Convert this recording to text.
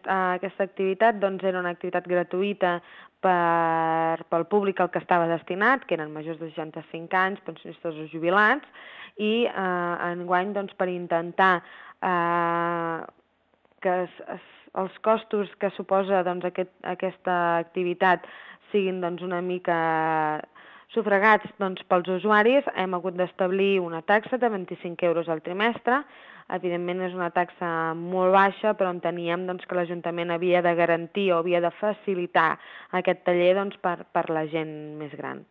aquesta activitat doncs, era una activitat gratuïta pel públic al que estava destinat, que eren majors de 65 anys, pensionistes o jubilats, i enguany doncs, per intentar que els costos que suposa doncs, aquesta activitat siguin doncs, una mica sufragats doncs, pels usuaris, hem hagut d'establir una taxa de 25 euros al trimestre. Evidentment és una taxa molt baixa, però enteníem doncs, que l'Ajuntament havia de garantir o havia de facilitar aquest taller doncs, per la gent més gran.